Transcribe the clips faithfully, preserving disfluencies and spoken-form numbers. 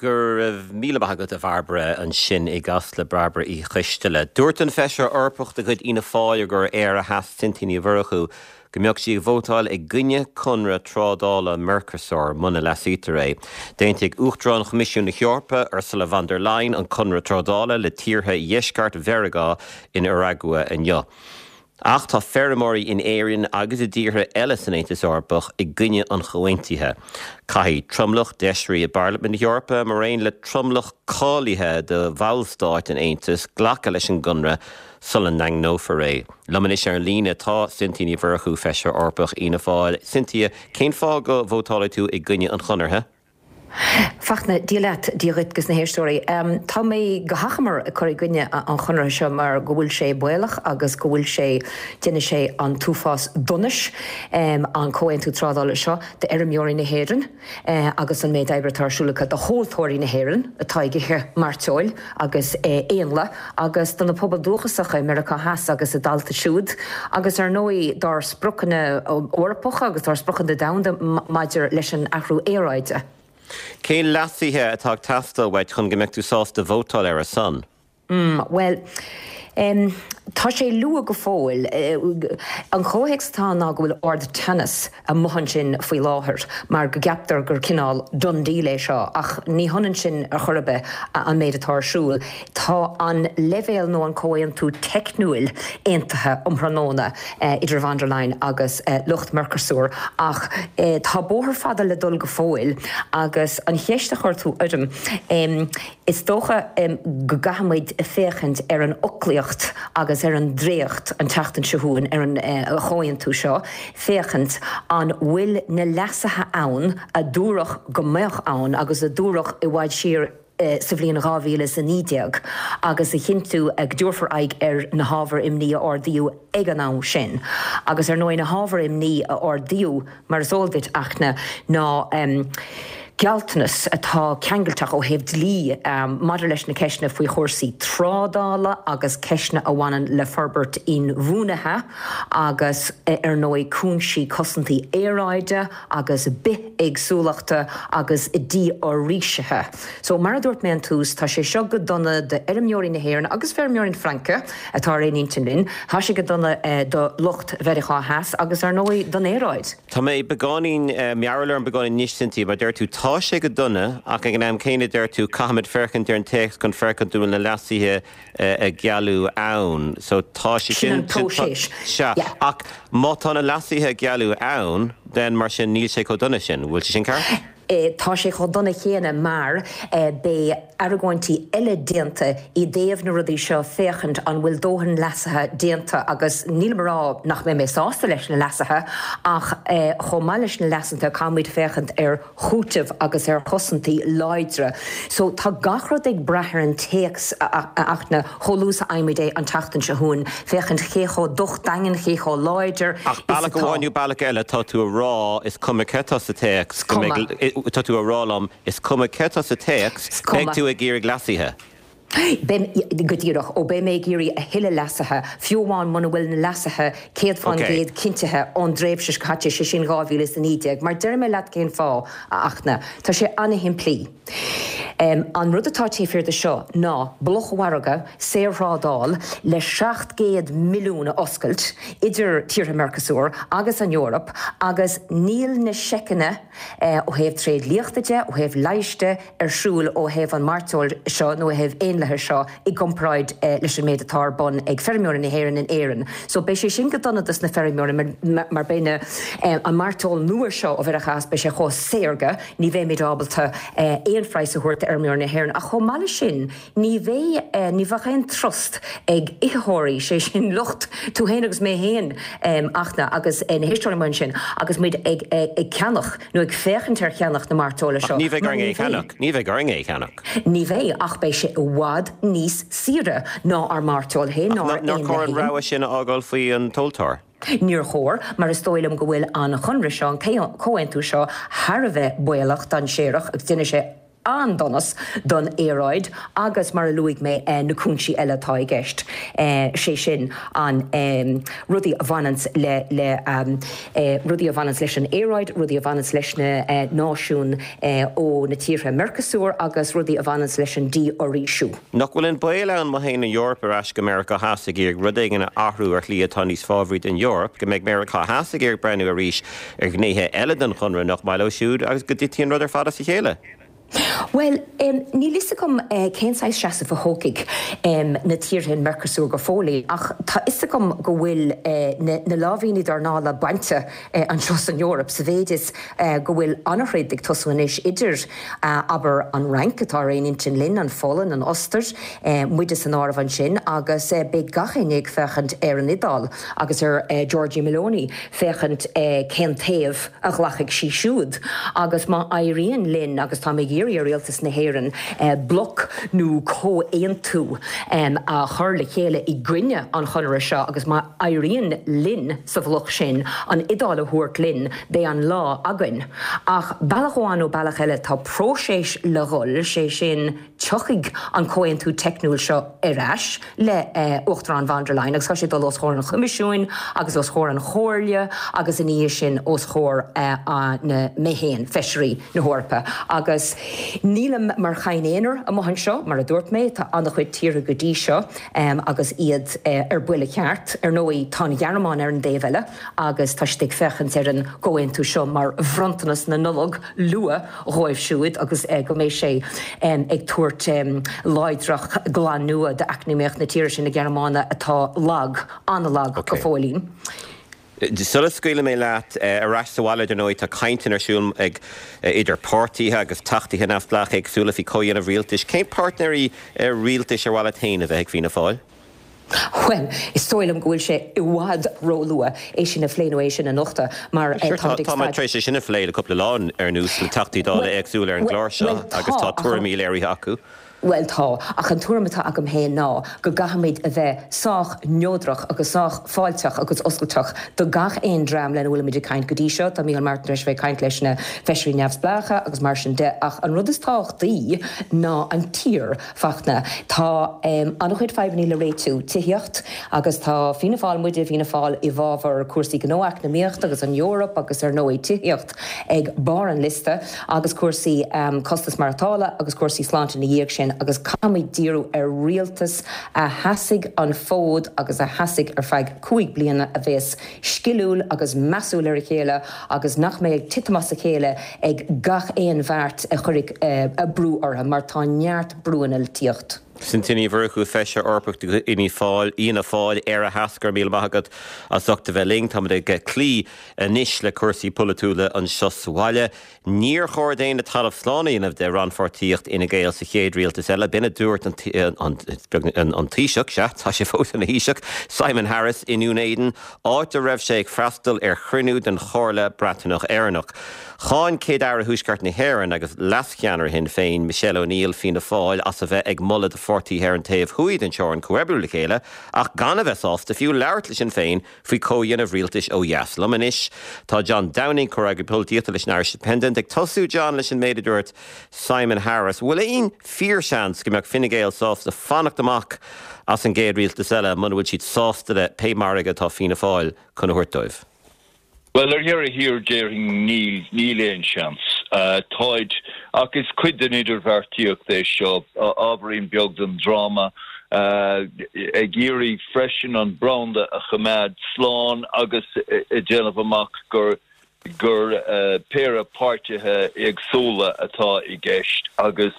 Go raibh míle maith agat a Bhairbre ansin i gCasla Bairbre Uí Choisteala. Dúirt an feisire Eorpach de chuid Fhianna Fáil gur Éire Theas Cynthia Ní Mhurchú go mbeadh sí ag vótáil i gcoinne conradh trádála Mercosur muna leasaítear é. D'aontaigh Uachtarán Choimisiún na hEorpa Ursula von der Leyen an conradh trádála le tíortha dheisceart Mheiriceá in Uruguay inniu. Ach tá feirmeoirí in Éirinn agus i dtíortha eile san Aontas Eorpach i gcoinne an chomhaontaithe. Caithfidh tromlach d'fheisirí i bParlaimint na hEorpa mar aon le tromlach cáilithe de bhallstáit an Aontais glacadh leis an gconradh sula ndaingneofar é. Liom anois ar an líne tá Cynthia Ní Mhurchú feisire Eorpach Fhianna Fáil. Cynthia, cén fáth go vótálfaidh tú i gcoinne an chonartha? Fachtna Dia leat Dia dhuit agus na héisteoirí. Um, tá mé go hachomair ag cur i gcoinne an chonartha seo mar go bhfuil sé baolach agus go bhfuil sé déanfaidh sé an t-uafás donais um, an comhaontú trádála seo d'fheirmeoirí na hÉireann uh, agus an méid oibre atá ar siúl acu do thomhaltóirí na hÉireann atá ag ithe mairteoil agus uh, éanlaith agus do na pobail dúchasacha i Meiriceá Theas agus a dtailte siúd agus ar ndóigh dár spriocanna Eorpacha agus dár spriocanna domhanda maidir leis an athrú aeráide. Cén leasuithe atá ag teastáil uait chun go mbeadh tú sásta vótáil ar a son? Mm, well, um, tá sé luath go fóill. An comhthéacs atá ná go bhfuil ardteannas amuigh ansin faoi láthair mar go gceaptar gur cineál done deal é seo ach ní hionann sin ar chor ar bith an méid atá ar siúl. Tá an leibhéal nó an comhaontú teicniúil aontaithe um thráthnóna idir von der Leyen agus lucht Mercosur ach tá bóthar fada le dul go fóill agus an cheist a chuir tú orm is dócha go gcaithfimid féachaint ar an fhoclaíocht agus ar an dréacht an tseachtain seo chugainn ar an chomhaontú seo, féachaint an bhfuil na leasuithe ann a dúradh go mbeadh ann agus a dúradh i bhfad siar sa bhliain dhá mhíle is a naoi déag agus a chinntiú go dtabharfar aghaidh ar na hábhair imní a ardaíodh ag an am sin. Agus ar ndóigh na hábhair imní a ardaíodh mar is eol duit a Fhachtna ná gealltanas atá ceangailteach ó thaobh dlí maidir leis na ceisteanna faoi chúrsaí trádála agus ceisteanna a bhaineann le forbairt inbhuanaithe agus ar ndóigh cúinsí cosantaí aeráide agus bithéagsúlachta agus dífhoraoisithe. So mar a dúirt mé an tús, tá sé seo go dona d'fheirmeoirí na hÉireann agus feirmeoirí na Fraince atá ar aon intinn linn, tá sé go dona do lucht Mheiriceá Theas agus ar ndóigh don aeráid. Tá mé beagáinín mearbhall orm beagáinín anois Cynthia, mar deir tú tá sé go dona ach ag an am céanna deir tú caithfimid féachaint ar an téacs chun féachaint an bhfuil na leasuithe a gealladh ann. So tá sé sin próiseas. Sea, ach má tá na leasuithe a gealladh ann, then mar sin níl sé chomh dona sin. Bhfuil sé sin ceart? Tá sé chomh dona chéanna mar beidh argóintí eile déanta i dtaobh na rudaí seo féachaint an bhfuil dóthain leasuithe déanta agus nílim ag rá nach mbeidh mé sásta leis na leasuithe ach chomh maith leis na leasuithe caithfimid féachaint ar chúiteamh agus ar chosaintí láidre. So tá gach rud ag brath ar an téacs a Fhachtna chomh luath is a fhaighimid é an tseachtain seo chugainn féachaint cé chomh docht daingean, cé chomh láidir Ach bealach amháin nó bealach eile tá tú a rá is cuma cé tá sa téacs go mbeidh tá tú a rá liom is cuma cé tá sa téacs beidh tú ag iarraidh leasuithe. Beidh, go díreach, ó beidh mé ag iarraidh a thuilleadh leasuithe, fiú amháin muna bhfuil na leasuithe céad fán gcéad cinntithe ón dtréimhse seo caite, sé sin dhá mhíle is a naoi déag. Mar déarfaidh mé leat cén fáth, a Fhachtna. Tá sé an-shimplí. An rud atá taobh thiar de seo ná blocmhargadh, saorthrádáil le seacht gcéad milliún a oscailt idir tíortha Mercosur agus an Eoraip agus níl na seiceanna, ó thaobh tréidliachta de, ó thaobh leighis de, ar siúl ó thaobh an mairteoil seo nó ó thaobh éanlaithe seo i gcomparáid leis an méid atá ar bun ag feirmeoirí na hÉireann in Éirinn. So beidh sé sin go dona dos na feirmeoirí mar mar beidh na an mairteoil nua seo ó Mheiriceá Theas beidh sé chomh saorga ní bheimid ábalta aon phraghas a thabhairt d'fheirmeoirí na hÉireann. Ach chomh maith leis sin ní bheidh ní bheadh aon trust ag itheoirí, sé sin lucht tú féin agus mé féin a Fhachtna agus na héisteoirí amuigh ansin agus muid ag ag ceannach nó ag féachaint ar cheannach na mairteola Ach seo ní bheidh mar orainn ní é a bheidh. cheannach. Ní bheidh orainn é a cheannach. Ní bheidh, ach beidh sé i bhfad níos saoire ná ár mairteoil féin, Ach ná ár nár chóir éanlaith an féin. rogha sin a fhágáil faoi an tomhaltóir? Níor chóir, mar is dóigh liom go bhfuil an chonradh seo, an comhaontú seo thar a bheith baolach, dainséarach agus déanfaidh sé an-donas don aeráid agus mar a luaigh mé na cúinsí eile atá i gceist, sé sin an rudaí a bhaineanns le le rudaí a bhaineanns leis an aeráid, rudaí a bhaineanns leis na náisiúin ó na tíortha Mercosur agus rudaí a bhaineanns leis an dífhoraoisiú. Nach bhfuil an baol ann má théann an Eoraip ar ais go Meiriceá Theas ag iarraidh rud éigin a athrú ar shlí atá níos fábhraí don Eoraip, go mbeidh Meiriceá Theas ag iarraidh breathnú arís ar ghnéithe eile den chonradh nach maith leo siúd agus go dtitfidh an rud ar fad as a chéile? Bhuel, níl fhios agam cén saghas seasamh a thógfaidh na tíortha in Mercosur go fóill, ach tá fhios agam go bhfuil na lámhainní dornála bainte anseo san Eoraip, sa mhéid is go bhfuil an-throid ag tosú anois idir, abair, an Fhrainc, atá ar aon intinn linn, an Pholainn, an Ostair, muide san áireamh ansin, agus beidh gach éinne ag féachaint ar an Iodáil agus ar Giorgia Meloni féachaint cén taobh a ghlacfaidh sí siúd. Agus má éiríonn linn, agus táim ag iarraidh ar Rialtas na hÉireann bloc nó comhaontú a chur le chéile i gcoinne an chonartha seo agus má éiríonn linn sa bhloc sin an Iodáil a thabhairt linn, beidh an lá againn. Ach bealach amháin nó bealach eile tá próiseas le dhul, sé sin tiocfaidh an comhaontú teicniúil seo ar ais le Uachtarán von der Leyen agus tá sé ag dul os comhair an Choimisiúin agus os comhair an Chomhairle agus ina dhiaidh sin os comhair na mé féin, Feisirí na hEorpa. Agus nílim mar chadhn aonair amuigh anseo, mar a dúirt mé, tá an-chuid tíortha go dtí seo agus iad ar buile ceart. Ar ndóigh, tá an Ghearmáin ar an dtaobh eile agus tá siad ag féachaint ar an gcomhaontú seo mar bhronntanas na Nollag luath dhóibh siúd agus go mbeidh sé ag tabhairt láidreacht glan nua d'eacnamaíocht na tíre sin, na Gearmáine, atá lag, an-lag go fóillín. Sula scaoilfidh mé leat, ar ais sa bhaile, dar ndóigh, tá cainteanna ar siúl ag idir páirtithe agus teachtaí neamhspleácha éagsúla faoi chomhdhéanamh rialtais. Cén páirtnéirí rialtais ar mhaith leat féin a bheith ag Fianna Fáil? Bhuel, is dóigh liom go bhfuil sé i bhfad róluath é sin a phlé nó é sin a nochtadh mar táimid ag Tá muid tar éis é sin a phlé le cúpla lá anuas le Teachtaí Dála éagsúla ar an gclár seo agus tá tuairimí léirithe acu. Bhuel, tá, ach an tuairim atá agam féin ná go gcaithfimid a bheith sách neodrach agus sách fáilteach agus oscailteach do gach aon dream lena bhfuilimid ag caint go dtí seo. Tá Micheál Martin tar éis a bheith ag caint leis na feisirí neamhspleácha agus mar sin de, ach an rud is tábhachtaí ná an tír, Fachtna. Tá an-chuid fadhbanna le réitiú, tithíocht, agus tá Fianna Fáil, muide i bhFianna Fáil, i bhfabhar cúrsaí gnó eacnamaíochta agus an Eoraip agus ar ndóigh tithíocht ag barr an liosta agus cúrsaí costas maireachtála agus cúrsaí sláinte ina dhiaidh sin agus caithfimid díriú ar rialtas a sheasfaidh an fód agus a sheasfaidh ar feadh cúig bliana, a bheas sciliúil agus measúil ar a chéile agus nach mbeidh ag titim as a chéile ag gach aon bheart a chuirfidh brú orthu, mar tá neart brúanna le tíocht. Cynthia Ní Mhurchú, Feisire Eorpach de chuid Fhianna Fáil, Éire Theas, go raibh míle maith agat as ucht a bheith linn. Táimid ag cloí anois le cúrsaí polaitiúla anseo sa bhaile. Níor chóir d'éinne talamh slán a dhéanamh de rannpháirtíocht Fhine Gael sa chéad rialtas eile. B'in a dúirt an Taoiseach, sea, tá sé fós ina Thaoiseach, Simon Harris i nDún Éideann, áit a raibh sé ag freastal ar chruinniú den Chomhairle Breatnach-Éireannach. Cháin Céad-Aire Thuaisceart na hÉireann agus leascheannaire Shinn Féin, Michelle O'Neill, Fianna Fáil, as a bheith ag moladh do pháirtithe ar an taobh thuaidh den teorainn comhoibriú le chéile ach gan a bheith sásta fiú labhairt le Sinn Féin faoi chomhdhéanamh rialtais ó dheas. Liom anois tá John Downing, comhfhreagraí polaitíochta leis an Irish Independent. Ag tosú, John, leis an méid a dúirt Simon Harris, bhfuil aon fíorsheans go mbeadh Fine Gael sásta fanacht amach as an gcéad rialtas eile muna bhfuil siad sásta le pé margadh atá Fianna Fáil chun a thabhairt dóibh? Bhuel, ar dheireadh thiar, déarfainn níl, níl aon seans. Táid, ach is cuid den idirbheartaíocht é seo, ábhairín beag den dráma, ag iarraidh freisin an branda a choimeád slán agus ag déanamh amach gur gur péire páirtithe éagsúla atá i gceist agus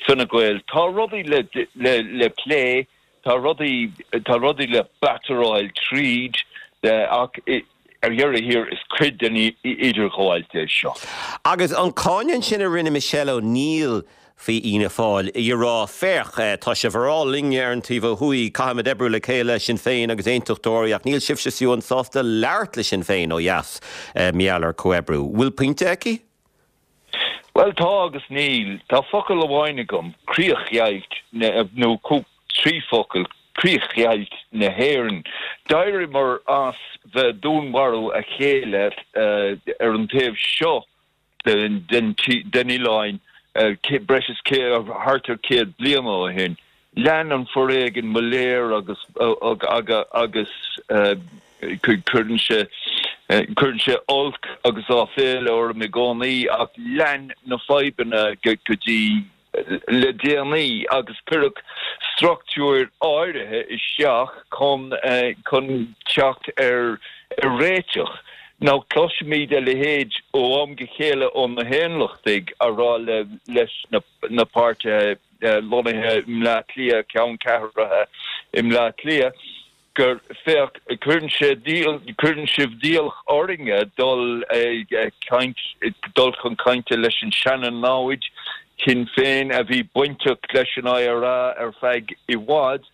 Fine Gael. Tá rudaí le le le plé, tá rudaí tá rudaí le batteráil tríd ach ar dheireadh thiar is cuid den idirghabháilt é seo. Agus an cáineadh sin a rinne Michelle O'Neill faoi Fhianna Fáil, í ag rá, Féach, tá sibh ag rá linne ar an taobh ó thuaidh, caithfimid oibriú le chéile, Sinn Féin agus Aontachtóirí, ach níl sibhse fiú sásta labhairt le Sinn Féin ó dheas mar gheall ar chomhoibriú. Bhfuil pointe aici? Bhuel, tá agus níl. Tá focal amháin agam, críochdheighilt, nó trí focal, críochdheighilt na hÉireann. D'éiríomar as bheith ag dúnmharú a chéile ar an taobh seo den oileáin breis is thart ar céad bliain ó shin. Lean an foréigean mo léir agus agus cuireann sé cuireann sé olc agus áiféala orm i gcónaí ach lean na fadhbanna go dtí le déanaí agus cuireadh struchtúir áirithe isteach chun chun teacht ar ar réiteach. Now cloisimid a leithéid ó am go chéile ó na hAondachtaigh a rá le leis na, na páirtithe lonnaithe i mBleá Cliath ceanncheathraithe i mBleá Cliath gur féach cuireann sé cuireann sibh d'iallach orainne dul ag caint dul chun cainte leis an seana-namhaid Sinn Féin a bhí bainteach leis an IRA ar feadh i bhfad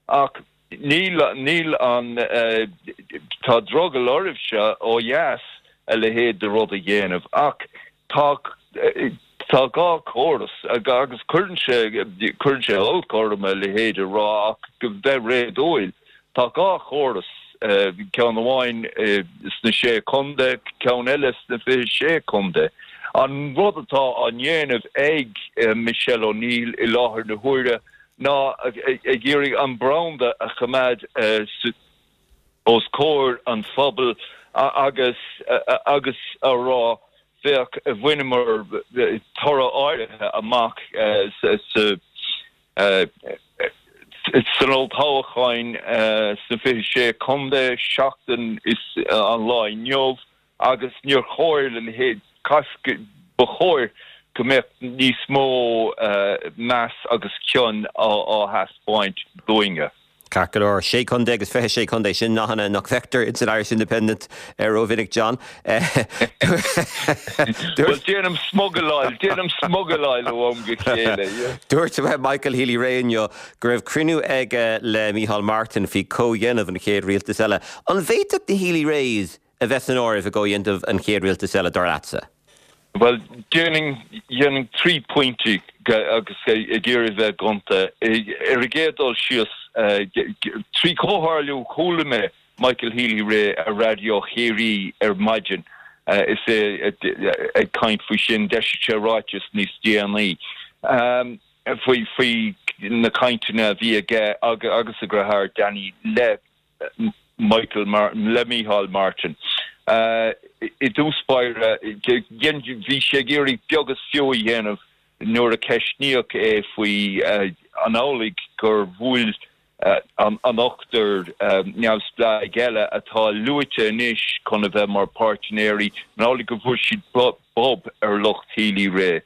ach níl níl an tá drogall oraibhse ó dheas a leithéid de rud a dhéanamh ach tá tá dhá chóras agus cuireann sé cuireann sé olc orm a leithéid a rá ach go bheith réadúil tá dhá chóras ceann amháin sna sé chontae ceann eile sna fiche sé chontae. An rud atá á dhéanamh ag Michelle O'Neill i láthair na huaire ná ag iarraidh an branda a choimeád os comhair an phobail agus agus a rá féach bhaineamar toradh áirithe amach sa san olltoghchán sna fiche sé chontae seachtain is an lá inniu agus níor chóir le leithéid ba chóir go mbeadh níos mó meas agus cion á thaispeáint dúinne. Ceart go leor sé chontae agus fiche sé chontae sin nathanna nach bhfeictear in san Irish Independent ar rómhinic John. Well déanaim smugairle déanaim smugairle ó am go chéile. Dúirt Michael Healy-Rae inniu go raibh cruinniú aige le Micheál Martin faoi chomhdhéanamh an chéad rialtas eile. An bhféadfadh na Healy-Raes a bheith san áireamh i gcomhdhéanamh an chéad rialtas eile dar leatsa? Well déanfainn trí pointí agus ag iarraidh bheith gonta ar an gcéad dul síos trí chomhtharlú chuala mé Michael Healy-Rae ar Raidió Chiarraí ar maidin is é ag caint faoi sin d'eisigh sé ráiteas níos déanaí faoi faoi na cainteanna a bhí aige agus a dheartháir Danny le Michael Martin le Micheál Martin. I dtús báire bhí sé ag iarraidh beag is fiú a dhéanamh nuair a ceistíodh é faoi an amhlaidh gur bhuail an ochtar neamhspleách eile atá luaite anois chun a bheith mar páirtnéirí an amhlaidh go bhfuair siad bob ar lucht Healy-Rae.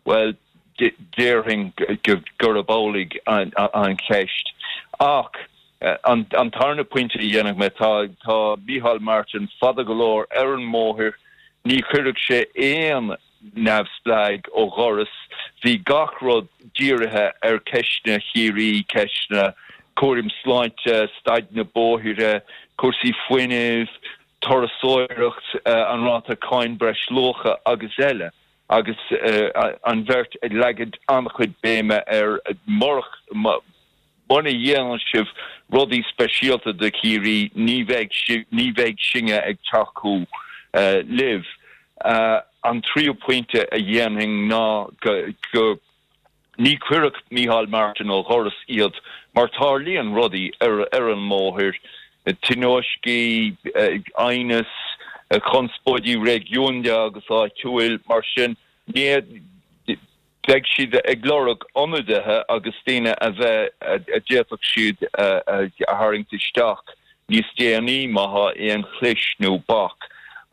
Well déarfainn gurb amhlaidh an cheist. Ach an an tarna pointe a dhéanfaidh mé tá tá Micheál Martin fada go leor ar an mbóthar, ní chuirfeadh sé aon neamhspleách ó dhoras, bhí gach rud dírithe ar ceisteanna Chiarraí, ceisteanna cúraim sláinte, staid na bóithre, cúrsaí fuinnimh, turasóireacht, an ráta cáin breisluacha agus eile agus an bheirt ag leagan an-chuid béime ar murach Muna dhéanann sibh rudaí speisialta do Chiarraí ní bheidh ní bheidh sinne ag tacú libh. An tríú pointe a dhéanfainn ná go ní chuirfeadh Micheál Martin ó dhoras iad mar tarlaíonn rudaí ar ar an mbóthar, tionóiscí, aighneas, conspóidí réigiúnda agus áitiúil mar sin ní Beidh siad ag lorg ionadaithe agus daoine a bheith a d'fhéadfadh siad a tharraingt isteach níos déanaí má tá aon chlis nó bac.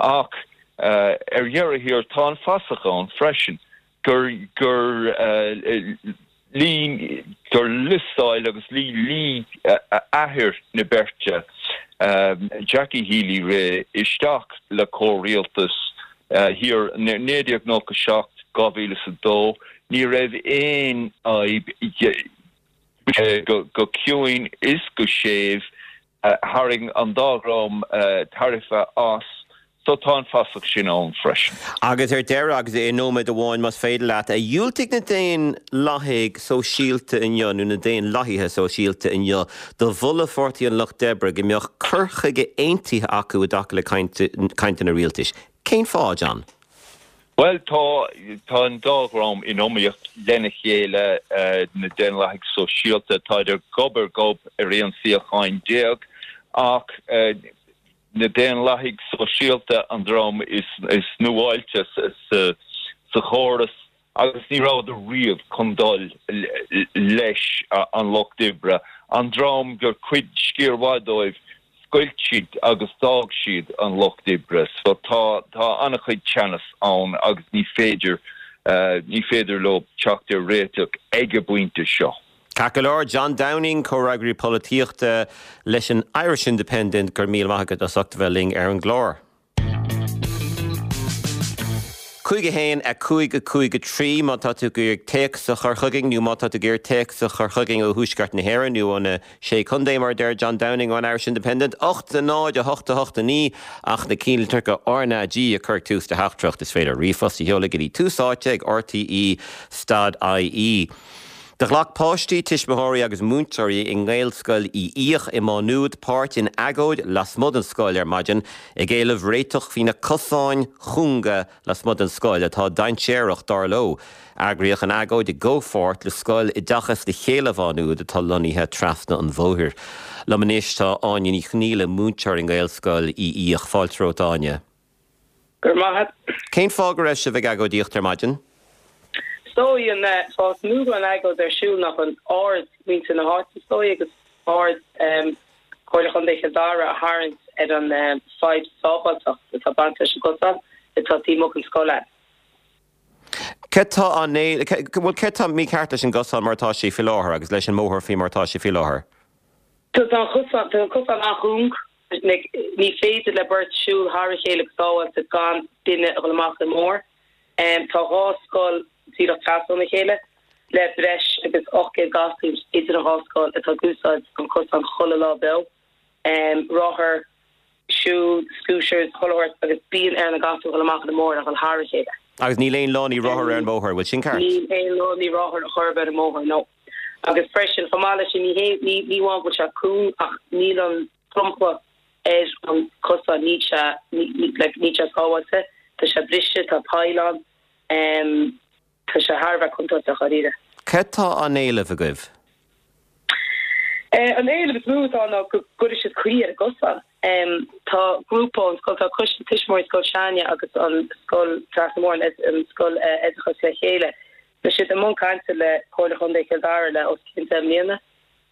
Ach ar dheireadh thiar tá an fasach ann freisin gur gur luigh gur liostáil agus luigh athair na beirte, Jackie Healy-Rae, isteach le comhrialtas thiar naoi déag nócha seacht, dhá mhíle is a dó, ní raibh aon fhadhb go ciúin is go séimh, tharraing an dá dhream tairbhe as, so tá an fasach sin ann freisin. Agus ar deireadh, agus i nóiméad amháin más féidir leat, dhiúltaigh na Daonlathaigh Sóisialta inniu, nó na Daonlathaithe Sóisialta inniu, do mholadh Pháirtí an Lucht Oibre go mbeadh cur chuige aontaithe acu i dtaca le cainteanna rialtais. Cén fáth, John? Well tá tá an dá dhream in iomaíocht lena chéile uh, na Daonlathaigh Sóisialta tá ar gob ar gob ar aon suíochán déag ach uh, na Daonlathaigh Sóisialta an dream is is nuáilte sa sa chóras agus ní rabhadar riamh chun dul leis an lucht oibre an dream gur cuid sciar mhaith dóibh scoilt siad agus d'fhág siad an lucht oibre so tá tá an-chuid teannas ann agus ní féidir uh, ní féidir leo teacht ar réiteach ag an bpointe seo. Ceart go leor John Downing comhfhreagraí polaitíochta leis an Irish Independent go raibh míle maith agat as ucht bheith linn ar an gclár. Cúig a haon a cúig a cúig a trí má tá tú ag iarraidh téacs a chur chugainn nó má tá tú ag iarraidh téacs a chur chugainn ó Thuaisceart na hÉireann nó ó na Sé Chontae mar deir John Downing ón Irish Independent ocht a náid a hocht a hocht a naoi ach na ceannlitreacha R na G a chur ag tús do theachtaireacht is féidir ríomhphost a sheoladh go dtí Tús Áite ag RTE stad IE. Do ghlac páistí tuismitheoirí agus múinteoirí i nGaelscoil Uí Fhiaich i Má Nuad páirt in agóid lasmuigh den scoil ar maidin ag éileamh réiteach faoi na cosáin chúnga lasmuigh den scoil atá dainséarach dar leo. Eagraíodh an agóid i gcomhpháirt le scoil Oideachas le Chéile Mhá Nuad atá lonnaithe trasna an bhóthair. Liom anois tá Áine Ní Chonghaile múinteoir i nGaelscoil Uí Fhiaich fáilte romhat Áine. Go raibh maith agat. Cén fáth go raibh sibh ag agóidíocht ar maidin? Is dóigh an fáth is mó go bhfuil an agóid ar siúl ná chun aird mhuintir na háite is dóigh agus aird Comhairle Chontae Chill Dara a tharraingt ar an fadhb sábháilteacht atá baint leis an gcosán atá taobh amuigh den scoil. Cad tá an bhfuil cad tá mícheart leis an gcosán mar atá sé faoi láthair agus leis an mbóthar faoi mar atá sé faoi láthair? Tá an cosán tá an cosán an-chúng ní féidir le beirt siúl thar a chéile go sábháilte gan duine a dhul amach an mbóthar. Tá dhá scoil díreach trasna óna chéile le breis agus ocht gcéad gasúr idir an dhá scoil atá ag úsáid an cosán chuile lá beo. Rothair, siúl, scooters, chuile shórt agus bíonn ar na gasúir dhul amach ar an mbóthar a dhul thar a chéile. Agus níl aon lánaí rothar ar an mbóthar, bhfuil sin ceart? Níl aon lánaí rothar ar chor ar bith ar an mbóthar, no. Agus freisin chomh maith leis sin ní hé ní ní amháin go bhfuil sé cúng ach níl an dromchla ar an cosán níl sé like níl sé sábháilte, tá sé briste, tá poill ann. Tá sé thar a bheith contúirteach dháiríre. Cad tá á éileamh agaibh? An éileamh is mó atá ná go gcuirfidh siad caoi ar an gcosán. Tá grúpa ón scoil, tá coiste tuismitheoirí Scoil s'againne agus an scoil trasna an bhóthair, an scoil Oideachas le Chéile, tá siad i mbun cainte le Comhairle Chontae Chill Dara le os cionn deich mbliana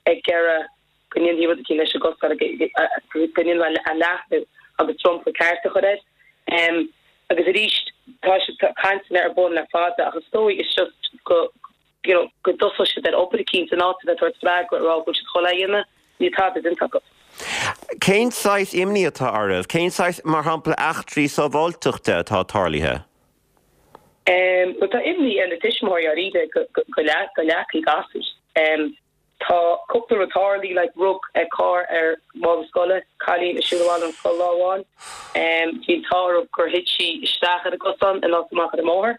ag iarraidh go ndéanfaí rud eicínt leis an gcosán, go ndéanfaí é a leathnú agus dromchla ceart a chur air. Agus arís, tá siad, tá cainteanna ar bun le fada ach is dóigh it's just go, you know, go dtosódh siad ar obair eicínt in áit a bheith ag tabhairt freagra ag rá go bhfuil siad chun é a dhéanamh, níl tada déanta acu. Cén saghas imní atá oraibh? Cén saghas, mar shampla, eachtraí sábháilteachta atá tarlaithe? Em, bhuel tá imní ar na tuismitheoirí dháiríre go, go, go leagfaí gasúir. Em, Tá cúpla rud tarlaithe, like rug carr ar mhála scoile, cailín ag siúl abhaile ón scoil lá amháin. Bhí an t-ádh orthu gur thit sí isteach ar an gcosán in áit amach ar an mbóthar.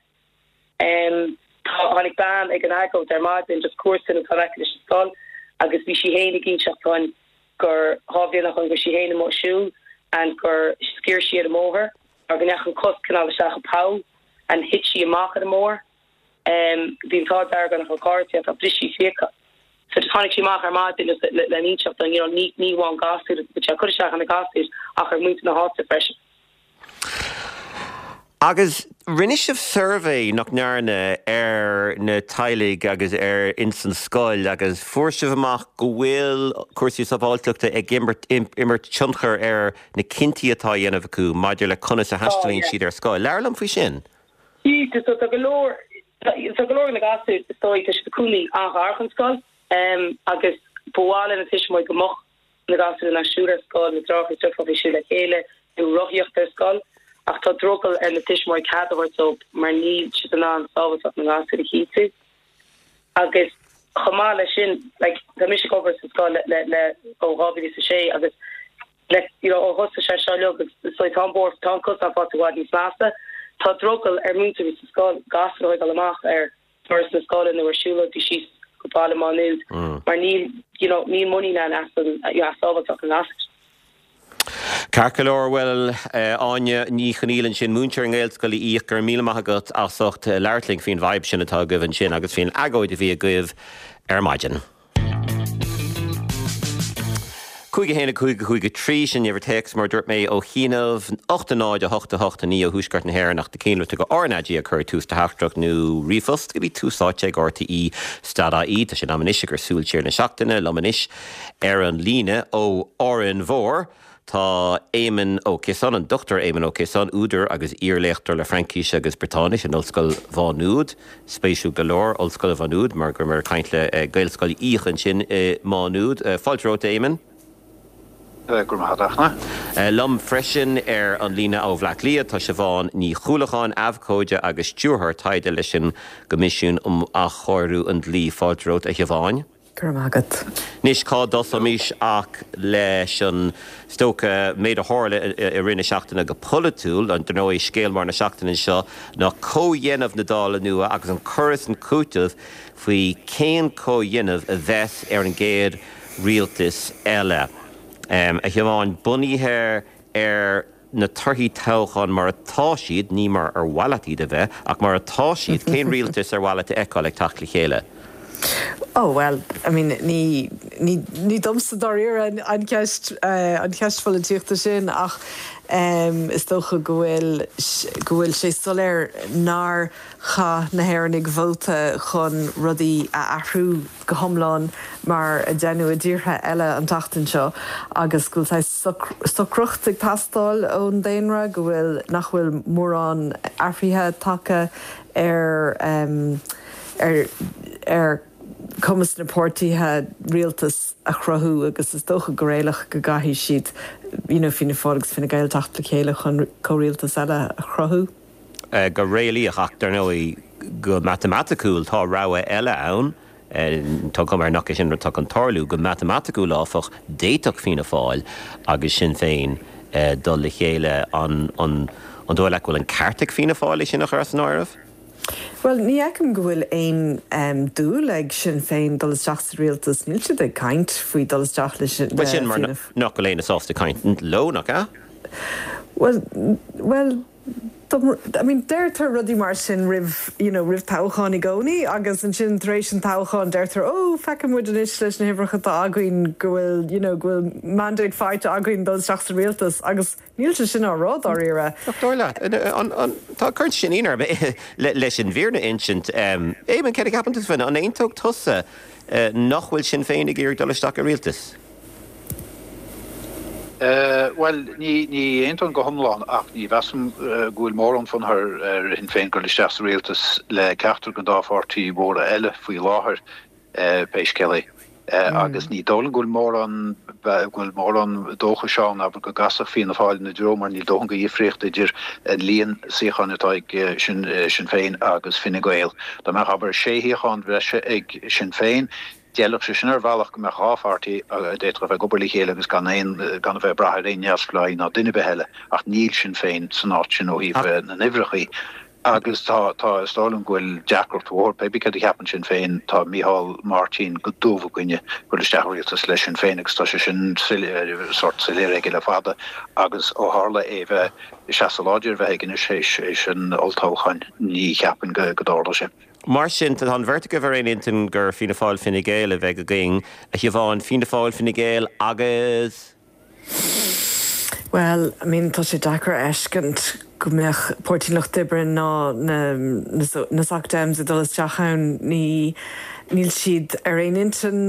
Tá, tháinig bean ag an agóid ar maidin, just comharsan atá in aice leis an scoil, agus bhí sí fhéin ag inseacht dúinn gur dhá bhliain ó shin go raibh sí fhéin amuigh ag siúl and gur sciorr sí ar an mbóthar mar go ndeachaigh an cos cineál isteach i poll and thit sí amach ar an mbóthar. Bhí an t-ádh dearg uirthi nach raibh carr ach bhris sí fiacha. So just tháinig sí amach ar maidin just le le n-inseacht dúinn, you know, ní ní amháin gasúir, but sé ag cur isteach ar na gasúir ach ar muintir na háite freisin. Agus rinne sibh suirbhé, nach ndearna, ar na teaghlaigh agus ar ins an scoil agus fuair sibh amach go bhfuil cúrsaí sábháilteachta ag imirt imirt tionchar ar na cinntí atá á dhéanamh acu maidir le conas a Tá, thaistealaíonn yeah. siad ar scoil. Labhair liom faoi sin. Cinnte, so tá go leor tá go leor de na gasúir is dóigh tá siad ina gcónaí an-ghar don scoil agus ba mhaith le na tuismitheoirí go mbeadh na gasúir in ann siúl ar scoil, na deartháireacha is deirfiúracha ag siúl le chéile nó rothaíocht ar scoil ach tá drogall ar na tuismitheoirí cead a thabhairt dóibh mar níl siad in ann sábháilteacht na ngasúr a chinntiú. Agus chomh maith leis sin, like, tá mise ag obair sa scoil le, le, le ó dhá mhíle is a sé agus like, you know, ó thosaigh sé seo uilig agus so tá an bóthar, tá an cosán faighte i bhfad níos measa. Tá drogall ar múinteoirí sa scoil gasúir a thógáil amach ar doras na scoile nó ar siúlóidí síos go Baile Mhá Nuad mar níl, you know, níl muinín ann as an, you know, as sábháilteacht na ngasúr. Ceart go leor bhuel Áine Ní Chonaola ansin múinteoir i nGaelscoil Uí Fhiaich go raibh míle maith agat as ucht labhairt linn faoin bhfadhb sin atá agaibh ansin agus faoin agóid a bhí agaibh ar maidin. Cúig a haon a cúig a cúig a trí sin uimhir téacs mar dúirt mé ó chianaibh ocht a náid a hocht a hocht a naoi ó thuaisceart na hÉireann ach tá ceangailte go RnaG ag cur tús do theachtaireacht nó ríomhphost go dtí Tús Áite ag RTÉ dot ie Tá sé in am anois ag súil siar na seachtaine liom anois ar an líne ó Árainn Mhór. Tá Éamonn Ó Ciosáin, an Dochtúir Éamonn Ó Ciosáin, údar agus iarléachtóir le Fraincis agus Briotáinis in Ollscoil Mhá Nuad. Spéisiúil go leor Ollscoil Mhá Nuad mar go raibh caint le eh, Gaelscoil Uí Fhiaich ansin i Má Nuad. Eh, fáilte romhat Éamonn. Eh, go raibh maith agat. Liom freisin ar an líne ó Bhleá Cliath tá Siobhán Ní Chuallacháin abhcóide agus stiúrthóir taighde leis an gCoimisiún um Athchóiriú an Dlí fáilte romhat a Shiobháin. Go raibh maith agat. Anois cá dtosóimis ach leis an stoca méid a tharla i rith na seachtaine go polaitiúil an ndóigh scéal mór na seachtaine seo ná comhdhéanamh na Dála nua agus an cur is an cúiteamh faoi cén comhdhéanamh a bheas ar an gcéad rialtas eile. Um, a Shiobháin bunaithe ar na torthaí toghcháin mar atá siad ní mar ar mhaith leat iad a bheith ach mar atá siad cén rialtas ar mhaith leat a fheiceáil ag teacht le chéile. Oh well, I mean ní ní ní domsa dáiríre an, an ceist uh, an ceist pholaitíochta sin ach um, is dócha go bhfuil go bhfuil sé soiléir nár chaith na hÉireannaigh vóta chun rudaí a athrú go hiomlán mar a deineadh i dtíortha eile an tseachtain seo agus go bhfuil socracht ag teastáil ón daonra go bhfuil nach bhfuil mórán athruithe tagtha ar um, ar ar cumas na páirtithe rialtas a chruthú agus is dócha go réalaíoch go gcaithfidh siad you know, Fianna Fáil agus Fine Gael teacht le chéile chun comhrialtas eile a chruthú. Uh, go réalaíoch ach dar ndóigh go matamaiticiúil tá rogha eile ann. Tá cuma air nach é sin atá chun tarlú go matamaiticiúil áfach d'fhéadfadh Fianna Fáil agus Sinn Féin uh, dul le chéile an, an, an dóigh leat go bhfuil an ceart ag Fianna Fáil é sin a chur san áireamh? Well, ní fheicim go bhfuil aon um, dúil ag Sinn Féin dul isteach sa rialtas níl siad ag caint faoi dul isteach le sin Well sin mar nach bhfuil éinne sásta caint leo nach ea? Well, well, I mean, deirtear rudaí mar sin roimh you know, roimh toghchán i gcónaí agus ansin tar éis an toghchán deirtear ó feicim muid anois leis na huimhreacha atá againn go bhfuil you know, go bhfuil mandate faighte againn dul isteach sa rialtas agus níl sé sin á rá dáiríre. Dóigh leat tá cuireann sin ionadh leis an bhfírinne a insint Éamonn céard a cheapann tú féin an aontódh tusa nach bhfuil Sinn Féin ag iarraidh dul isteach i rialtas. Uh, well ní ní aontaím go hiomlán ach ní mheasaim uh, go bhfuil mórán fonn ar ar Shinn Féin dul isteach sa rialtas le ceachtar den dá pháirtí mhóra eile faoi láthair uh, pé scéal é. Uh, mm. agus ní dóigh liom go bhfuil mórán go bhfuil mórán dóchais ann abair go gcasfadh Fianna Fáil ina dtreo mar níl dóthain de dhifríocht idir an líon suíochán atá ag Sinn Sinn Féin agus Fine Gael. Dá mbeadh abair sé shuíochán bhreise ag Sinn Féin, D'fhéadfadh sé sin ar bhealach go mbeadh dhá pháirtí a d'fhéadfadh a bheith ag obair le chéile agus gan aon gan a bheith ag brath ar aon neamhspleáigh ná duine ar bith eile ach níl Sinn Féin san áit sin ó thaobh na n-uimhreacha agus tá tá is dóigh liom go bhfuil deacracht mhór pé cad a cheapann Sinn Féin tá Micheál Martin go dubh i gcoinne dul isteach i rialtas le Sinn Féin agus tá sé sin sórt soiléir aige le fada agus ó tharla é bheith seasamh láidir bheith aige anois théis théis an olltoghcháin ní cheapaim go go dtarlóidh sé. Mar sin tá an bheirt agaibh ar aon intinn gur Fianna Fáil Fine Gael a bheidh againn a Shiobhán Fianna Fáil Fine Gael agus. Well, I mean tá sé deacair a fheiscint go mbeadh Páirtí an Lucht Oibre ná na, na, na Soc Dems ag dul isteach ann ní níl siad ar aon intinn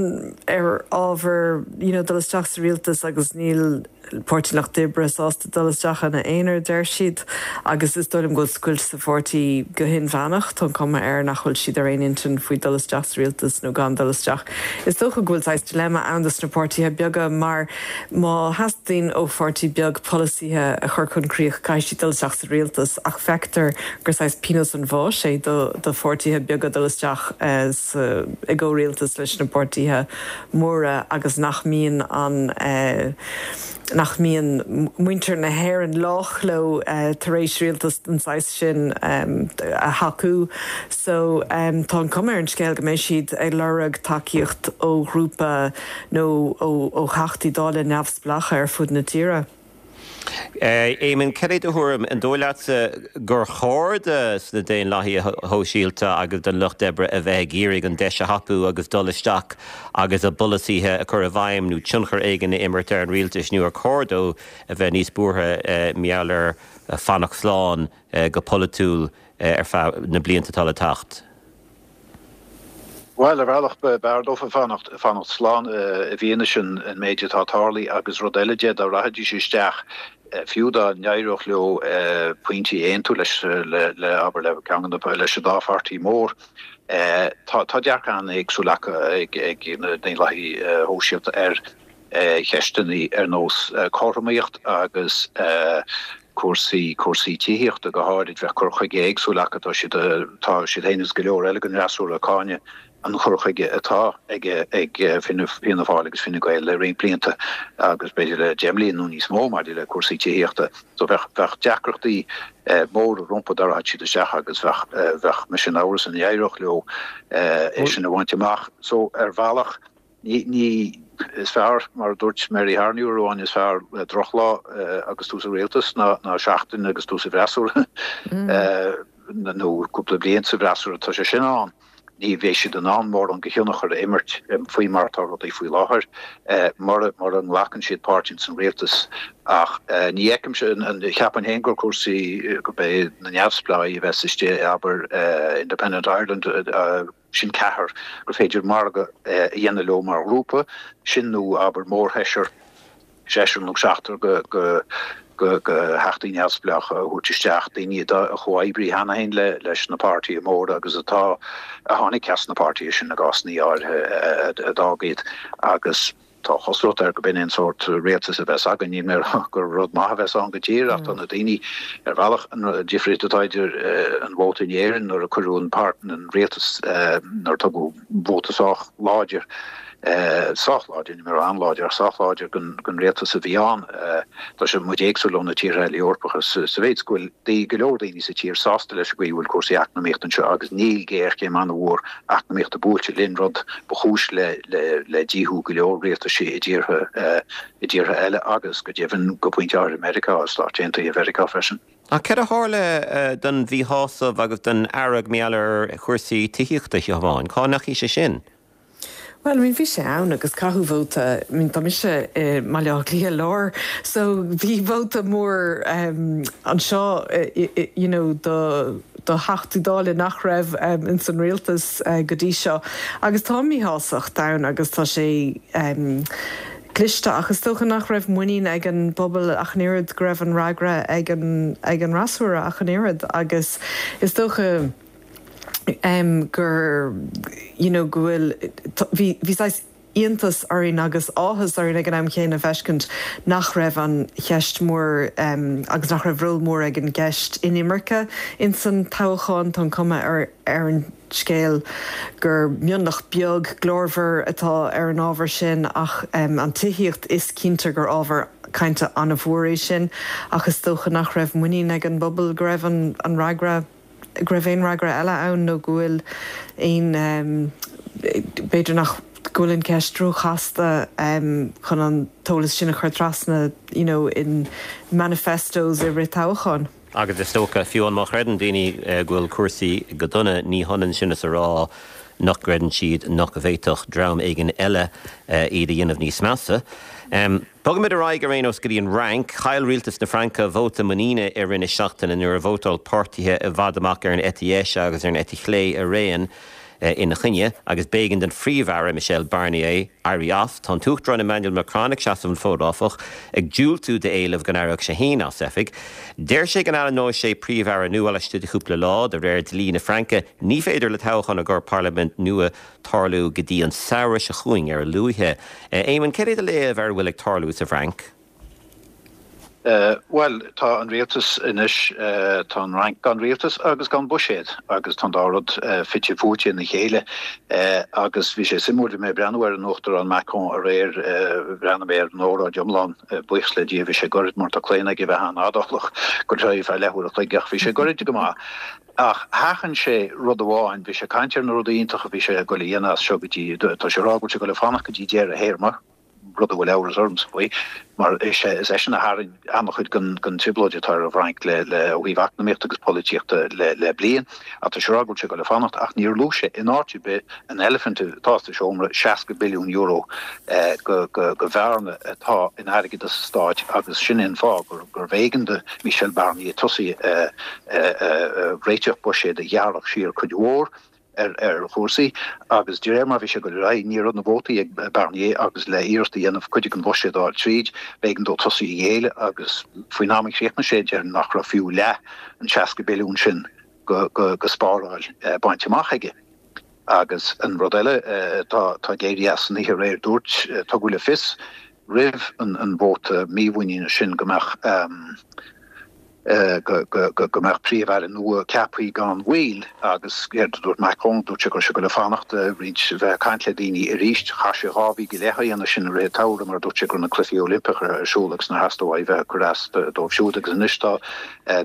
ar ábhar you know, dul isteach sa rialtas agus níl Páirtí an Lucht Oibre sásta dul isteach ina aonar deir siad agus is dóigh liom go bhfuil scoilt sa pháirtí go hinmheánach tá an cuma air nach bhfuil siad ar aon intinn faoi dul isteach sa rialtas nó gan dul isteach. Is dócha go bhfuil saghas dilemma ann dos na páirtithe beaga mar má theastaíonn ó pháirtí beag polasaithe a chur chun críoch caithfidh siad dul isteach sa rialtas ach feictear gur saghas pionós an bháis é do do pháirtithe beaga dul isteach eh, sa i gcomhrialtas leis na páirtithe móra agus nach mbíonn an eh, nach mbíonn muintir na hÉireann lách leo eh, tar éis rialtas den saghas sin um, a thacú. So um, tá an cuma ar an scéal go mbeidh siad ag lorg tacaíocht ó ghrúpa nó ó, ó Theachtaí Dála neamhspleácha ar fud na tíre. Éamonn, cad é do thuairim, an dóigh leatsa gur chóir do sna Daonlathaithe Shóisialta agus don Lucht Oibre a bheith ag iarraidh an deis a thapú agus dul isteach agus a bpolasaithe a chur i bhfeidhm nó tionchar éigin a imirt ar an rialtas nó ar chóir dó a bheith níos buartha mar gheall ar fanacht slán go polaitiúil ar feadh na blianta atá le teacht? Bhuel, ar bhealach b'fhearr dófa fanacht fanacht slán i bhfianaise an méid atá tarlaithe agus rud eile de dá rachaidís isteach fiú dá n-éireodh leo pointí a aontú leis le le abair le ceann de na leis an dá pháirtí mór. Tá tá dearcadh an-éagsúil acu ag ag na Daonlathaithe Shóisialta ar cheisteanna ar nós cothromaíocht agus cúrsaí cúrsaí tithíochta go háirid. Bheadh cur chuige éagsúil acu. Tá siad tá siad féin is go leor eile den fhreasúra ag cáineadh an chur chuige atá ag ag Fianna Fáil agus Fine Gael le roinnt blianta agus b'fhéidir le deich mbliana nó níos mó maidir le cúrsaí tithíochta. So bheadh bheadh deacrachtaí móra rompu dá rachadh siad isteach agus bheadh bheadh mise in amhras an éireodh leo é sin a bhaint amach. So ar bhealach Ní, ní, is fearr, mar a dúirt Mary Harney uair amháin, is fearr drochlá agus tú sa rialtas ná, ná seachtain agus tú sa bhfreasúra nó cúpla bliain sa bhfreasúra, tá sé sin ann. Ní bheidh siad in ann mórán de thionchar a imirt faoi mar atá rudaí faoi láthair mura, mura nglacann siad páirt ins an rialtas. Ach ní fheicimse, cheapfainn féin gur cúrsaí, gurb é na neamhspleáigh a bheas istigh, abair Independent Ireland, sin ceathrar gur féidir margadh a dhéanamh leo mar ghrúpa, sin nó abair mórsheisear, seisear nó seachtar de theachtaí neamhspleácha a thabhairt isteach, daoine a chomhoibrigh cheana féin leis na páirtithe móra agus atá, a tháinig as na páirtithe sin i gcásanna áirithe a d'fhág iad agus. Tá cosúlacht air gurb in é an sórt rialtas a bheas againn. Níl mé ag rá gur rud maith a bheas ann go díreach ach tá na daoine, ar bhealach, an difríocht atá idir an vóta in Éirinn nuair a cuireadh an páirt an rialtas nuair a tugadh vóta sách láidir, sách láidir, níl mé ag rá an-láidir ach sách láidir don rialtas a bhí ann. Tá sé muid éagsúil ó na tíortha eile Eorpacha sa mhéid is go bhfuil go leor daoine sa tír sásta leis an gcaoi a bhfuil cúrsaí eacnamaíochta anseo agus níl géarchéim an-mhór eacnamaíochta buailte linn, rud ba chúis le le díothú go leor rialtaisí i dtíortha i dtíortha eile agus, go deimhin, go pointe áirithe i Meiriceá, i Stáit Aontaithe Mheiriceá freisin. Ach cad a tharla don mhíshásamh agus don fhearg mar gheall ar chúrsaí tithíochta, a Shiobháin? Cá ndeachaigh sé sin? Bhuel, I mean, bhí sé ann agus caitheadh vóta, I mean, tá mise i mBaile Átha Cliath Láir, so bhí vóta mór anseo, you know, do do Theachtaí Dála nach raibh ins an rialtas go dtí seo. Agus tá míshástacht ann agus tá sé cliste ach is dócha nach raibh muinín ag an bpobal ach an oiread go raibh an fhreagra ag an ag an fhreasúra ach an oiread agus is dócha gur you know go bhfuil bhí bhí saghas iontas orainn agus áthas orainn ag an am chéanna feiscint nach raibh an cheist mhór agus nach raibh ról mór ag an gceist inimirce ins an toghchán. Tá an cuma ar ar an scéal gur mionlach beag glórmhar atá ar an ábhar sin ach an tithíocht is cinnte gur ábhar cainte an-mhór é sin ach is dócha nach raibh muinín ag an bpobal go raibh an an fhreagra go raibh aon fhreagra eile ann nó go bhfuil aon, b'fhéidir nach, go bhfuil an cheist róchasta chun an t-eolas sin a chur trasna you know in manifestos i rith toghcháin. Agus is dócha, fiú amháin má chreideann daoine go bhfuil cúrsaí go dona, ní hionann sin is a rá nach gcreideann siad nach bhféadfadh dream éigin eile iad a dhéanamh níos measa. Bogaimid ar aghaidh ar aon nós go dtí an Fhrainc. Chaill rialtas na Fraince vóta muiníne i rith na seachtaine nuair a vótáil páirtithe i bhfad amach ar an eite dheis agus ar an eite chlé araon ina choinne agus b'éigean don Phríomh-Aire Michel Barnier éirí as. Tá an tUachtarán Emmanuel Macron ag seasamh an fóid áfach, ag diúltú d'éilimh go n-éireodh sé féin as oifig. Deir sé go n-ainmneoidh sé Príomh-Aire nua laistigh de chúpla lá. De réir dlí na Fraince ní féidir le toghchán i gcomhair parlaimint nua tarlú go dtí an samhradh seo chugainn ar a luaithe. Éamonn, céard é do léamh ar a bhfuil ag tarlú sa bhFrainc? Bhuel, tá an rialtas anois, tá an Fhrainc gan rialtas agus gan buiséad agus tá an dá rud fite fuaite ina chéile. Agus bhí sé suimiúil, bhí mé ag breathnú ar an Uachtarán Macron aréir, bhreathnaigh mé ar an óráid iomlán, buíochas le Dia bhí sé goirid mar tá claonadh aige a bheith an-fhadálach go dtí feadh leathuair a chloig ach bhí sé goirid go maith. Ach sheachain sé rud amháin, bhí sé ag caint ar na rudaí iontacha a bhí sé ag goil a dhéanamh as seo go dtí, tá sé ag rá go bhfuil sé ag goil a fanacht go dtí deireadh a théarma, rud a bhfuil amhras ormsa faoi, mar is é is eisean a tharraing an-chuid den den trioblóid atá ar an bhFrainc le le ó thaobh eacnamaíochta agus polaitíochta le le bliain. Ach tá sé ag rá go bhfuil sé ag dul a fanacht ach níor luaigh sé in áit ar bith an eilifint atá sa seomra, seasca billiún euro go go go bhearna atá in airgeadas an stáit agus sin é an fáth gur gurbh éigean do Michel Barnier tosaí réiteach buiséid a ghearrfadh siar cuid mhór ar ar chúrsaí agus de réir mar bhí sé ag dul ar aghaidh ní raibh na vótaí ag Barnier agus le iarracht a dhéanamh cuid den bhuiséad a fháil tríd, b'éigean dó tosaí a ghéilleadh agus faoin am a chríochnaigh sé déarfainn nach raibh fiú leath an seasca billiún sin go go go spáráil bainte amach aige. Agus an rud eile atá ag éirí as san oíche aréir, dúirt, tugadh le fios roimh an vóta mímhuiníne sin go mbeadh go go mbeadh príomh-aire nua ceaptha gan mhoill agus céard a dúirt Macron, dúirt sé go raibh sé ag dul a fanacht roinnt bheith ag caint le daoine arís. Chaith sé dhá mhí go leith á dhéanamh sin i rith an tsamhraidh mar dúirt sé go raibh na Cluichí Oilimpeacha ar siúl agus nár theastaigh uaidh bheith ag cur as dóibh siúd agus anois tá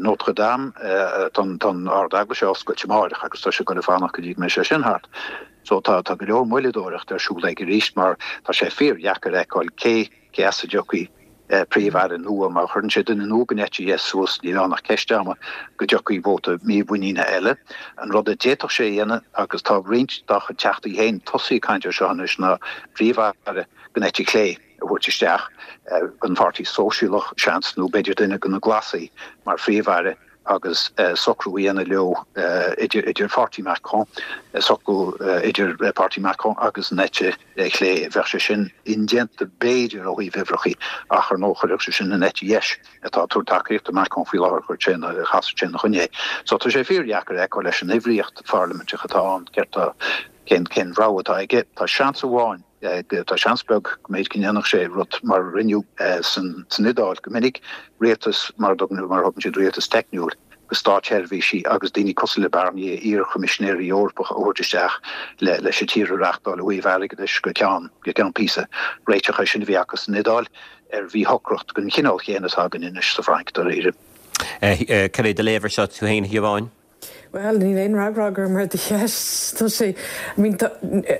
Notre Dame, tá an Ard-Eaglais á oscailt amáireach agus tá sé ag dul a fanacht go dtí go mbeidh sé sin thart. So tá tá go leor moilleadóireachta ar siúl aige arís mar tá sé fíordheacair a fheiceáil cé cé as a dtiocfaidh príomh-aire nua. Má chuireann sé duine nua den eite dheis suas níl ann ach ceist ama go dtiocfaidh vóta mímhuiníne eile. An rud a d'fhéadfadh sé a dhéanamh, agus tá roinnt dá chuid teachtaí féin tosaithe ag caint air seo anois, ná príomh-aire den eite chlé a thabhairt isteach, den Pháirtí Sóisialach, seans, nó b'fhéidir duine de na Glasaigh mar phríomh-aire. agus socrú a dhéanamh leo idir idir pháirtí Macron, socrú idir páirtí Macron agus an eite chlé. Bheadh sé sin indéanta b'fhéidir ó thaobh uimhreachaí ach ar ndóigh chuirfeadh sé sin an eite dheis atá ag tabhairt tacaíocht do Macron faoi láthair, chuirfeadh sé ina, chasfadh sé ina choinne é. So tá sé fíordheacair a fheiceáil leis an uimhríocht pharlaiminteach atá ann céard tá, cén cén rogha atá aige. Tá seans amháin. Tá seans beag go mb'fhéidir go ndéanfadh sé rud mar a rinneadh san Iodáil go minic, rialtas mar a thugann siad rialtas teicniúil go státseirbhísigh agus daoine cosúil le Barnier, iar-choimisinéirí Eorpacha a thabhairt isteach leis an tír a reáchtáil ó thaobh airgeadais go ceann go ceann píosa. Réiteach é sin a bhí acu san Iodáil ar mhíshocracht den chineál chéanna atá againn anois sa Fhrainc, dáiríre. Cad é do léamh air seo tú féin, a Shiobháin? Bhuel, níl aon fhreagra agam ar do cheist. Tá sé, I mean, tá,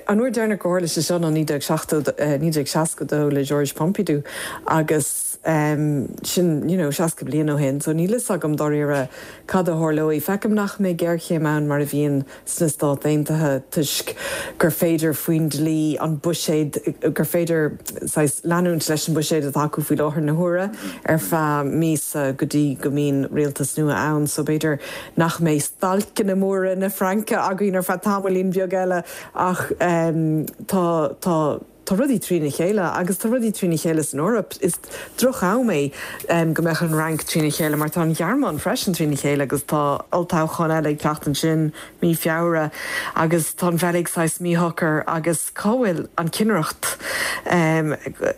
an uair deireanach gur tharla sé seo ná naoi déag seachtó, naoi déag seasca dó le Georges Pompidou agus sin, you know, seasca bliain ó shin, so níl fhios agam dáiríre cad a tharlóidh. Feicim nach mbeidh géarchéim ann mar a bhíonn sna Stáit Aontaithe toisc gur féidir faoin dlí an buiséad, gur féidir saghas leanúint leis an buiséad atá acu faoi láthair na huaire ar feadh míosa go dtí go mbíonn rialtas nua ann so b'fhéidir nach mbeidh stailceanna móra na Fraince againn ar feadh tamaillín beag eile ach tá tá tá rudaí trína chéile agus tá rudaí trína chéile san Eoraip. Is droch-am é go mbeadh an Fhrainc trína chéile mar tá an Ghearmáin freisin trína chéile agus tá olltoghchán eile ag teacht ansin mí Feabhra agus tá an Bheilg saghas míshocair agus cá bhfuil an chinnireacht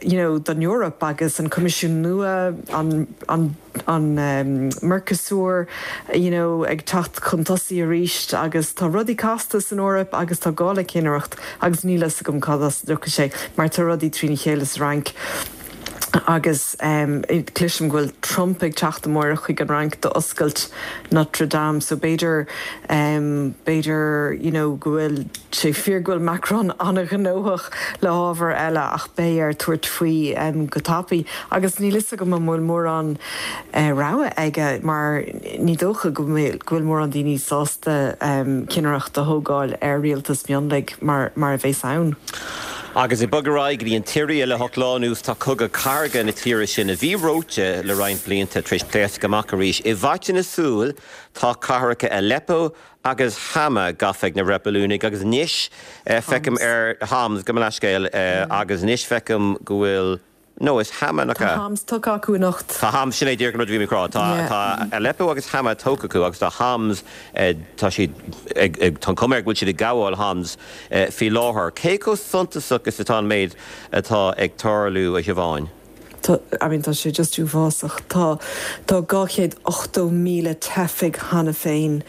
you know don Eoraip agus an Coimisiún nua, an an an Mercosur you know ag teacht chun tosaigh arís agus tá rudaí casta san Eoraip agus tá gá le cinnireacht agus níl fhios agam cad as a dtiocfaidh sé mar tá rudaí trína chéile sa Fhrainc agus cloisim go bhfuil Trump ag teacht amárach chuig an Fhrainc d'oscailt Notre Dame so b'fhéidir b'fhéidir you know go bhfuil sé fíor go bhfuil Macron an-ghnóthach le hábhar eile ach beidh air tabhairt faoi go tapaidh agus níl fhios agam an bhfuil mórán rogha aige mar ní dócha go bhfuil mórán daoine sásta cinnireacht a thógáil ar rialtas mionlaigh mar mar a bheas ann. Agus ag bogadh ar aghaidh go dtí an tSiria le hocht lá anuas tá cogadh cathartha na tíre sin a bhí reoite le roinnt blianta tar éis pléascadh amach arís. I bhfaiteadh na súl tá cathracha Aleppo agus Hama gafa ag na reibiliúnaigh agus anois feicim ar Homs, gabh mo leithscéal, agus anois feicim go bhfuil No, is Hama nach ea? Tá Homs tógtha acu anocht. Tá Homs, sin é díreach an rud a bhí mé ag rá. Tá, tá Aleppo agus Hama tógtha acu agus tá Homs, tá siad ag, ag, tá an chuma air go bhfuil siad ag gabháil Homs faoi láthair. Cé chomh suntasach is atá an méid atá ag tarlú, a Shiobháin? Tá, I mean, tá sé just uafásach. Tá, tá dhá chéad ochtó míle teifigh cheana féin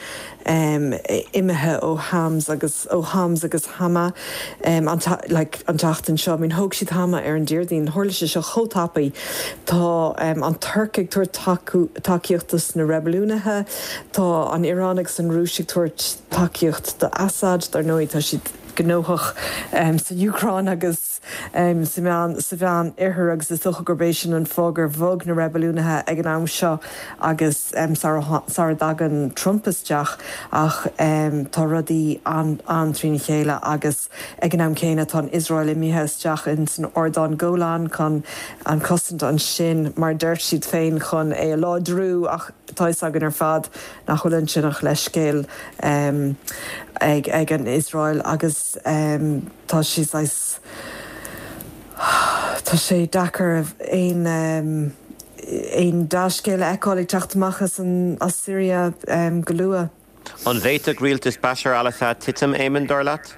imithe ó Homs agus ó Homs agus Hama an like an tseachtain seo. I mean thóg siad Hama ar an Déardaoin, tharla sé seo chomh tapaidh. Tá an Tuirc ag tabhairt tacú tacaíocht dos na reibiliúnaithe, tá an Iaráin agus an Rúis ag tabhairt tacaíocht do Assad, dar ndóigh tá siad gnóthach sa Úcráin agus sa Mheán sa Mheánoirthear agus is dócha gurb é sin an fáth gur bhog na reibiliúnaithe ag an am seo agus sara dtagann Trump isteach ach tá rudaí an-trína chéile agus ag an am céanna tá an Iosrael imithe isteach in san ardán Golan chun an cosaint ansin mar deir siad féin chun é a láidriú ach tá a fhios againn ar fad nach bhfuil ansin ach leithscéal ag ag an Iosrael agus tá sé saghas tá sé deacair aon aon dea-scéal a fheiceáil ag teacht amach as an as Syria go luath. An bhféadfadh rialtas Bashar al-Assad titim, Éamon, dar leat?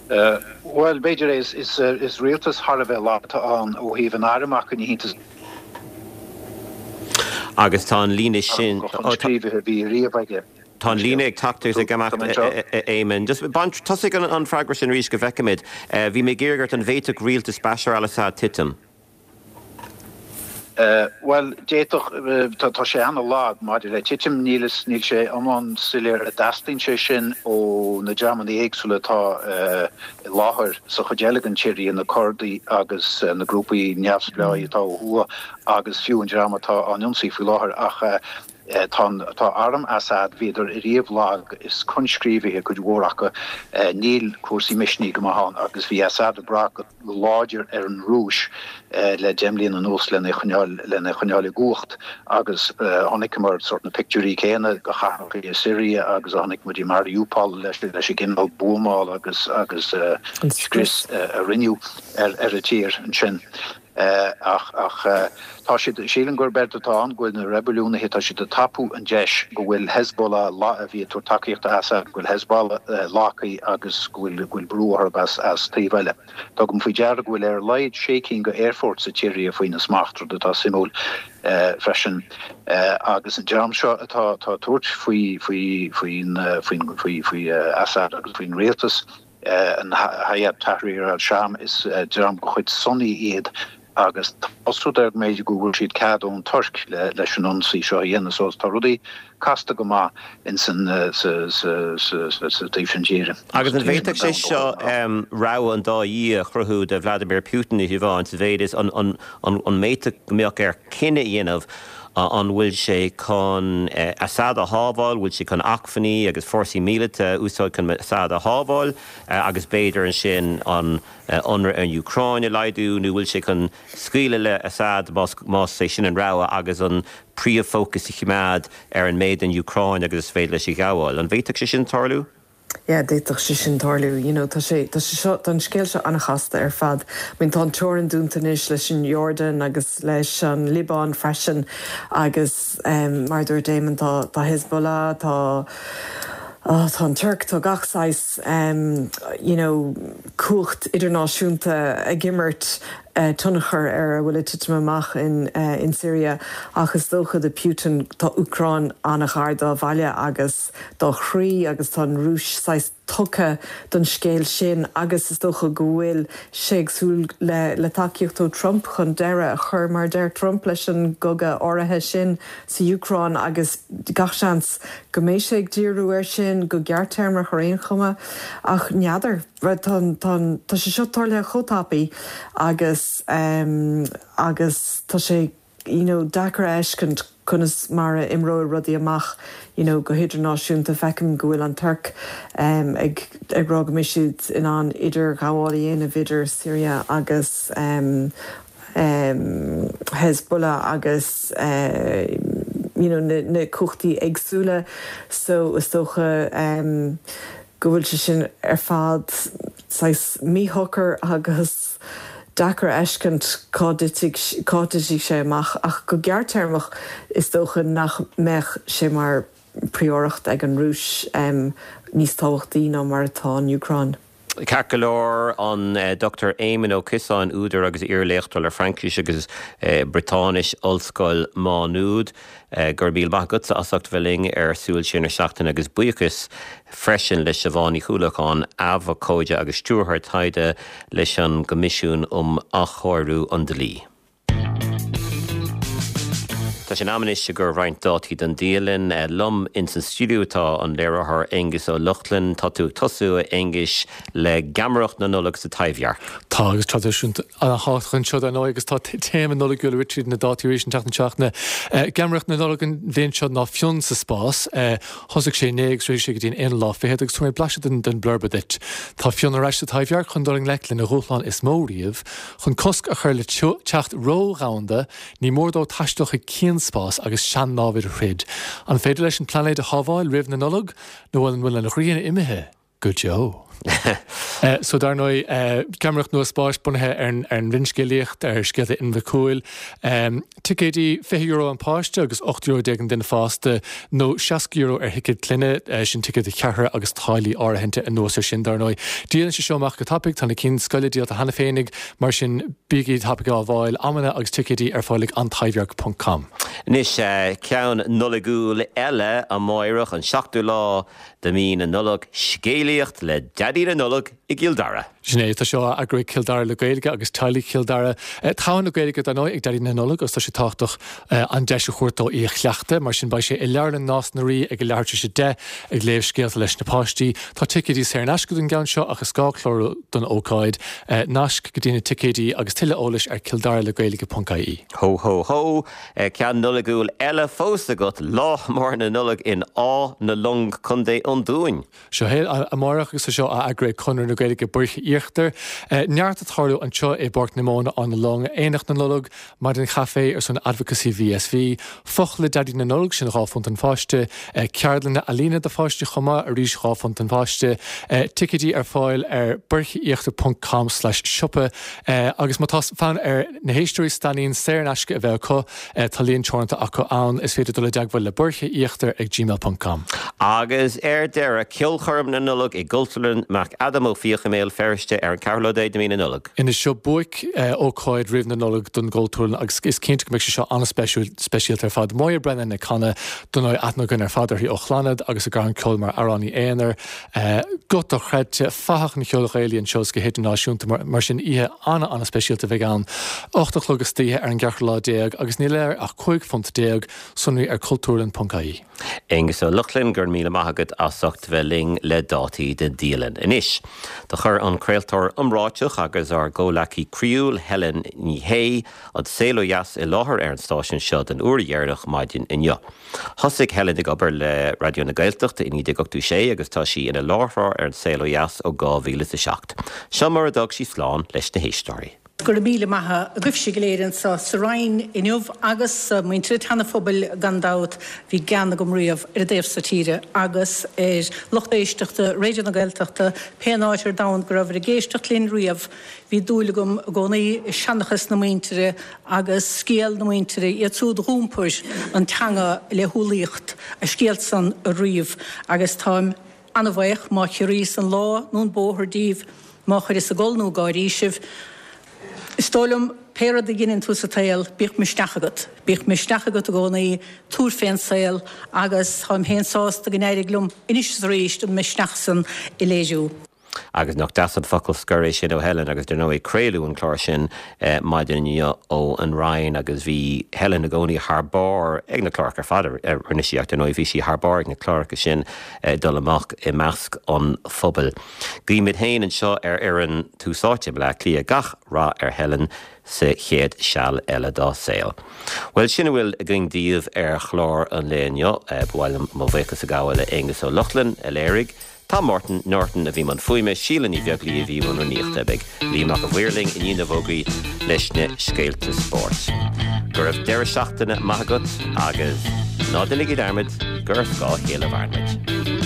Bhuel, b'fhéidir é. Is rialtas thar a bheith lag atá ann ó thaobh an airm acu, ní hiontas. Agus tá an líne sin. Coinscríobhaithe a bhí riamh aige. Tá an líne ag teacht agus ag imeacht, a Éamoin. Just bain, tosaigh an freagra sin arís go bhfeicimid. Bhí mé ag iarraidh ort an bhféadfadh rialtas Bashar al-Assad titim? Bhuel, d'fhéadfadh. Tá sé ana-lag maidir le titim. Níl níl sé iomlán soiléir an dteastaíonn sé sin ó na dreamanna éagsúla atá i láthair sa chuid eile den tSiria, na Curdaigh agus na grúpaí neamhspleácha atá ó thuaidh agus fiú an dream atá á n-ionsaí faoi láthair. Ach tá tá arm Assad, bhíodar ariamh lag, is coinscríobhaithe cuid mhór acu, níl cúrsaí misnigh go maith ann agus bhí Assad ag brath go láidir ar an Rúis le deich mbliana anuas lena choinneáil lena choinneáil i gcumhacht agus chonaiceamar sórt na pictiúirí céanna de chathracha i Syria agus a chonaic muid i Mariupol leis leis an gcineál buamála agus agus scrios a rinneadh ar ar an tír ansin. Ach ach tá siad, sílim gurb éard atá ann go bhfuil na reibiliúnaithe, tá siad ag tapú an deis go bhfuil Hezbollah a bhí ag tabhairt tacaíocht do Assad, go bhfuil Hezbollah lagtha agus go bhfuil go bhfuil brú orthu as as taobh eile. Tugaim faoi deara go bhfuil ar a laghad sé cinn de aerfoirt sa tSiria faoina smacht, rud atá suimiúil freisin. Agus an dream seo atá atá ag tabhairt faoi faoi faoin faoin faoi faoi Assad agus faoin rialtas, an Hayat Tahrir al-Sham, is dream de chuid Sunni iad agus tá rud air go mb'fhéidir go bhfuair siad cead ón Tuirc leis an ionsaí seo a dhéanamh. So tá rudaí casta go maith ins an sa sa sa sa taobh sin tíre. Agus an bhféadfadh sé seo rogha an dá dhia a chruthú do Vladimir Putin, a Shiobhán, sa mhéid is an an an an bhféadfadh go mbeadh air cinneadh a dhéanamh an bhfuil sé chun Assad a shábháil, bhfuil sé chun acmhainní agus fórsaí míleata a úsáid chun Assad a shábháil agus b'fhéidir ansin an ionradh ar an Úcráin a laghdú nó bhfuil sé chun scaoileadh le Assad más más é sin an rogha agus an príomhfhócas a choimeád ar an méid den Úcráin agus is féidir leis a ghabháil. An bhféadfadh sé sin tarlú? Yeah, d'fhéadfadh sé sin tarlú. You know, tá sé tá sé seo tá an scéal seo an-chasta ar fad. I mean, tá an teorainn dúnta anois leis an Jordan agus leis an Liobáin freisin agus um, mar dúirt Éamon tá tá Hezbollah, tá oh, tá an Tuirc tá gach saghas um, you know, cumhacht idirnáisiúnta ag imirt uh, tionchar ar a bhfuil ag titim amach in, uh, in Syria ach is dócha do Putin tá Úcráin an-ghar dá bhaile agus dá chroí agus tá an Rúis saghas tugtha don scéal sin agus is dócha go bhfuil sé ag súil le, le tacaíocht ó Trump chun deireadh a chur mar deir Trump leis an gcogadh áirithe sin sa Úcráin agus gach seans go mbeidh sé ag díriú air sin go gearrthéarmach ar aon chuma ach n'fheadar tá sé seo tarlaithe chomh tapaidh agus um, agus tá sé you know, deacair a fheiscint conas mar a imreoidh rudaí amach you know, go hidirnáisiúnta feicim go bhfuil an Tuirc um, ag, ag rá go mbeidh siad in ann idirghabháil a dhéanamh idir Syria agus um, um, Hezbollah agus uh, you know, na, na cumhachtaí éagsúla so is dócha um, go bhfuil sé sin ar fad saghas míshocair agus deacair a fheiscint cá dtitfidh sé amach ach go gearrthéarmach is dócha nach mbeadh sé mar phríoracht ag an Rúis um, níos tábhachtaí ná mar atá an Úcráin. Ceart go leor an Dochtúir Éamon Ó Ciosáin údar agus iarléachtóir le Fraincis agus Briotáinis Ollscoil Mhá Nuad. Go raibh míle maith agatsa as ucht bheith linn ar Súil Siar na Seachtaine agus buíochas freisin le Siobhán Ní Chuallacháin, abhcóide agus stiúrthóir taighde leis an gCoimisiún um Athchóiriú an Dlí. Tá sé in am anois i gcomhair roinnt dátaí don dialann liom ins an stiúideo tá an léiritheoir Aengus Ó Lochlainn tá tú ag tosú a Aonghuis le geamaireacht na Nollag sa Taibhdhearc. Tá agus traidisiún an-tábhachtach anseo dar ndóigh agus tá téama Nollag le tríd na dátaí arís an tseachtain seo. Geamaireacht na Nollag an bhliain seo ná Fionn sa spás thosaigh sé inné agus rith sé go dtí an aonú lá fichead agus tabharfaidh mé blaiseadh den den blurb duit. Tá Fionn ar ais sa Taibhdhearc chun dul i ngleic lena dhúshlán is mó riamh, chun cosc a chur le teocht ródhomhanda, ní mór dó taisteal chuig cianspás agus sean-námhaid a throid. An féidir leis an pláinéad a shábháil roimh na Nollag nó an bhfuil an ghrian imithe go deo? So dar ndóigh geamaireacht nua spáis bunaithe ar an bhfinscéalaíocht ar scéalta Fhinn Mhic Cumhaill. Ticéidí fiche euro an páiste agus ocht euro déag an duine fásta nó seasca euro ar thicéad clainne, sin ticéad do cheathrar agus táillí áirithinte anuas ar sin dar ndóigh. Díolann sé seo amach go tapaidh, tá na cinn scoile díolta cheana féinig, mar sin bígí tapaidh á bhfáil, amanna agus ticéidí ar fáil ag antaibhdhearc ponc com. Anois ceann Nollaigiúil eile amáireach, an seachtú lá de mhí na Nollag, scéalaíocht le Daidí na Nollag i gCill Dara. Sin é, tá seo á eagrú ag Cill Dara le Gaeilge agus teaghlaigh Chill Dara. Togha na Gaeilge dar ndóigh ag Daidí na Nollag agus tá sé tábhachtach an deis a thabhairt dó í a chleachtadh, mar sin beidh sé i Leabharlann Nás na Rí ag a leathuair tar éis a deich ag léamh scéalta leis na páistí. Tá ticéidí saor in aisce don gceann seo ach is gá clárú don ócáid. Naisc go dtí na ticéidí agus tuilleadh eolais ar killdaralegaeilge ponc ie. Hó hó hó! Ceann Nollaigiúil eile fós agat, Lá Mór na Nollag in Áth na Long, Contae an Dúin. Seo é amárach agus tá seo á eagrú ag Conradh na Gaeilge Boirche Íochtar. Neart ag tarlú anseo i bPáirc na Móna, Áth na Long, Aonach na Nollag, Maidin Chaife ar son Advocacy VSV, Foch le Daidí na Nollag, sin dhá phunt an pháiste, ceardlanna ealaíne do pháistí chomh maith, arís dhá phunt an pháiste, ticéidí ar fáil ar boircheíochtar ponc com slash siopa agus má tá fonn ar na héisteoirí stainnín saor in aisce a bheith acu, tá líon teoranta acu ann, is féidir dul i dteagmháil le boircheíochtar ag gmail ponc com. Agus ar deireadh, Ceolchoirm na Nollag i gCultúrlann McAdam Ó Fiaich i mBéal Feirste ar an ceathrú lá déag de mhí na Nollag. Anois seo buaic ócáid roimh na Nollag don gCultúrlann agus is cinnte go mbeidh sé seo an-speisialta ar fad. Moya Brennan ag canadh, dar ndóigh aithne againn ar fad uirthi ó Chlannad agus a gairm ceoil mar amhránaí aonair. Guth dochreidte, fathach an cheoil Ghaelaigh anseo is go hidirnáisiúnta, mar sin oíche an-an-speisialta a bheidh ann. Ocht a chlog istoíche ar an gceathrú lá déag agus níl air ach cúig phunt déag, sonraí ar cultúrlann ponc ie. Aengus Ó Lochlainn, go raibh míle maith agat as ucht bheith linn le dátaí don dialann. Anois, do chuir an craoltóir iomráiteach agus ár gcomhleacaí croíúil Helen Ní Shé an Saol Ó Dheas i láthair ar an stáisiún seo den uair dheireanach maidin inniu. Thosaigh Helen ag obair le Raidió na Gaeltachta i naoi déag ochtó sé agus tá sí ina láithreoir ar an Saol Ó Dheas ó dhá mhíle is a seacht. Seo mar a d'fhág sí slán leis na héisteoirí. Go raibh míle maith agaibhse go léir anseo sa Rinn inniu agus muintir an tSeana-Phobail gan dabht. Bhí gean agam riamh ar an dtaobh so tíre agus ar lucht éisteachta Raidió na Gaeltachta pén áit ar domhan go rabhabhair ag éisteacht linn riamh. Bhí dúil agam i gcónaí i seanchas na muintire agus scéal na muintire, iad siúd a dh'iompair an teanga le humhlaíocht, a scéal san a ríomh agus táim ana-bhaoch má chiorraíos an lá nó an bóthar díbh, má chuireas ag gol nó ag gáirí sibh. Is dóigh liom, pé rud a dheineann tú sa tsaol, bíodh misneach agat. Bíodh misneach agat i gcónaí, tabhair fén saol agus táim féin sásta go n-éirigh liom anois is arís an misneach san a léiriú. Agus nach deas an focal scoir é sin ó Helen agus dar ndóigh craoladh an clár sin maidin inniu ó an Rinn agus bhí Helen i gcónaí thar barr ag na cláracha ar fad a rinne sí ach dar ndóigh bhí sí thar barr ag na cláracha sin ag dul amach i measc an phobail. Guímid féin anseo ar fhoireann Tús Áite i mBleá Cliath gach rath ar Helen sa chéad seal eile dá saol. Bhuel, sin a bhfuil againn daoibh ar chlár an lae inniu. Ba mhaith liom mo bhuíochas a ghabháil le Aengus Ó Lochlainn a léirigh, Tom Martin, Norton a bhí i mbun fuaime, Síle Ní Bheaglaoí a bhí i mbun rúnaíochta. Beidh Liam Mac a' Mhaoir linn i ndiaidh na bhfógraí leis na scéalta spóirt. Go raibh deireadh seachtaine maith agat agus ná déanaigí dearmad gur ar scáth a chéile a mhaireann muid.